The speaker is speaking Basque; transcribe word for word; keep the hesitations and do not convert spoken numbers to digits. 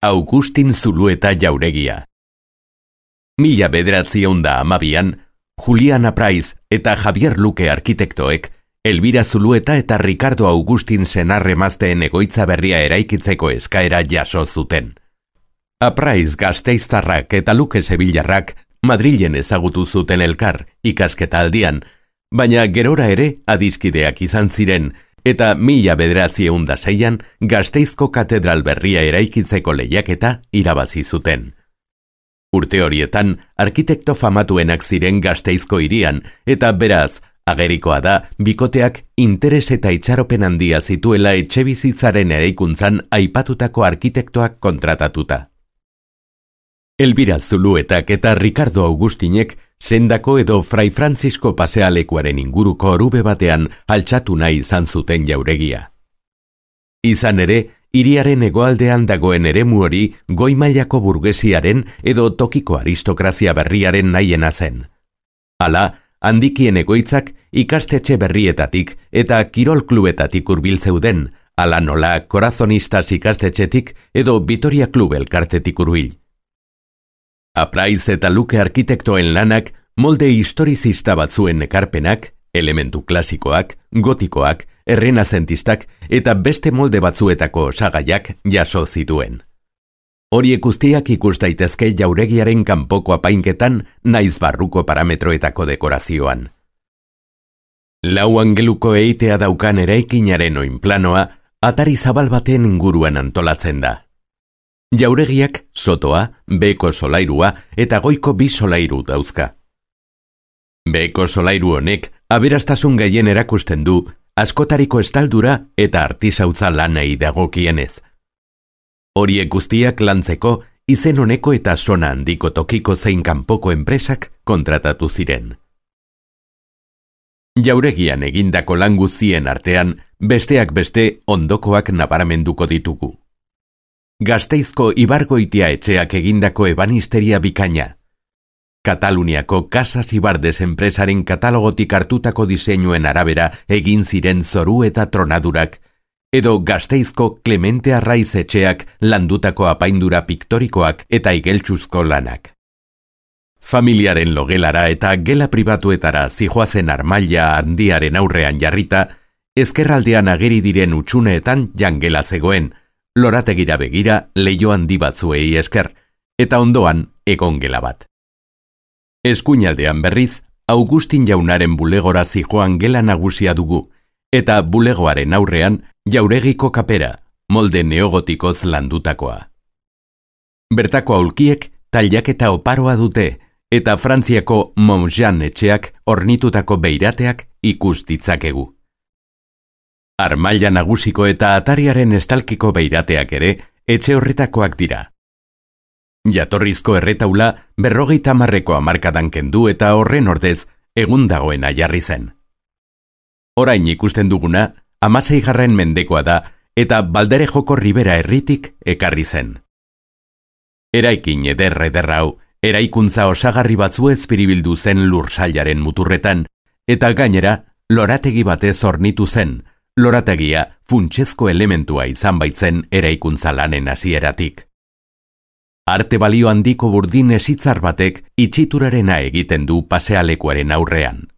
Augustin Zulueta jauregia. Mila bederatziehun da hamabian, Julian Apraiz eta Javier Luque arkitektoek Elvira Zulueta eta Ricardo Augustin senarremazteen egoitza berria eraikitzeko eskaera jaso zuten. Apraiz gasteiztarrak eta Luque sevillarrak Madrilen ezagutu zuten elkar ikasketa aldian, baina gerora ere adiskideak izan ziren, eta mila bederatziehun da seian Gasteizko katedral berria eraikitzeko lehiaketa irabazi zuten. Urte horietan, arkitekto famatuenak ziren Gasteizko hirian, eta beraz, agerikoa da, bikoteak interes eta itxaropen handia zituela etxebizitzaren eraikuntzan aipatutako arkitektoak kontratatuta. Elvira Zuluetak eta Ricardo Augustinek sendako edo Fray Francisco pasealekuaren inguruko orube batean altxatu nahi izan zuten jauregia. Izan ere, hiriaren hegoaldean dagoen eremu hori goi mailako burgesiaren edo tokiko aristokrazia berriaren nahiena zen. Hala, handikien egoitzak ikastetxe berrietatik eta kirol klubetatik hurbil zeuden, hala nola Corazonistas ikastetxetik edo Vitoria Klub elkartetik hurbil. Apraiz eta Luque arkitektoen lanak molde historizista batzuen ekarpenak, elementu klasikoak, gotikoak, errenazentistak eta beste molde batzuetako osagaiak jaso zituen. Horiek guztiak ikus daitezke jauregiaren kanpoko apainketan naiz barruko parametroetako dekorazioan. Lau angeluko eitea daukan eraikinaren oinplanoa atari zabal baten inguruan antolatzen da. Jauregiak sotoa, beheko solairua eta goiko bi solairu dauzka. Beheko solairu honek aberastasun gehien erakusten du askotariko estaldura eta artisautza lanei dagokienez. Horiek guztiak lantzeko izen honeko eta sona handiko tokiko zein kanpoko enpresak kontratatu ziren. Jauregian egindako lan guztien artean besteak beste ondokoak nabaramenduko ditugu. Gasteizko Ibargoitia etxeak egindako ebanisteria bikaina. Kataluniako Casas Ibardes enpresaren katalogotik hartutako diseinuen arabera egin ziren zoru eta tronadurak, edo Gasteizko Clemente Arraiz etxeak landutako apaindura piktorikoak eta igeltsuzko lanak. Familiaren logelara eta gela pribatuetara zijoazen armaila handiaren aurrean jarrita, ezkerraldean ageri diren utxuneetan jangela zegoen, lorategira begira leiho handi batzuei esker, eta ondoan egongela bat. Eskuinaldean berriz, Augustin jaunaren bulegora zijoan gela nagusia dugu, eta bulegoaren aurrean jauregiko kapera, molde neogotikoz landutakoa. Bertako aulkiek tailaketa oparoa dute, eta Frantziako Montjean etxeak ornitutako beirateak ikus ditzakegu. Armaila nagusiko eta atariaren estalkiko beirateak ere etxe horretakoak dira. Jatorrizko erretaula berrogeita hamarreko hamarkadan kendu eta horren ordez egun dagoena jarri zen. Orain ikusten duguna hamaseigarren mendekoa da eta Balderejoko Ribera herritik ekarri zen. Eraikin eder eder hau eraikuntza osagarri batzuez biribildu zen lursailaren muturretan eta gainera lorategi batez hornitu zen, lorategia funtsezko elementua izan baitzen eraikuntza lanen hasieratik. Arte balio handiko burdin esitzar batek itxiturarena egiten du pasealekuaren aurrean.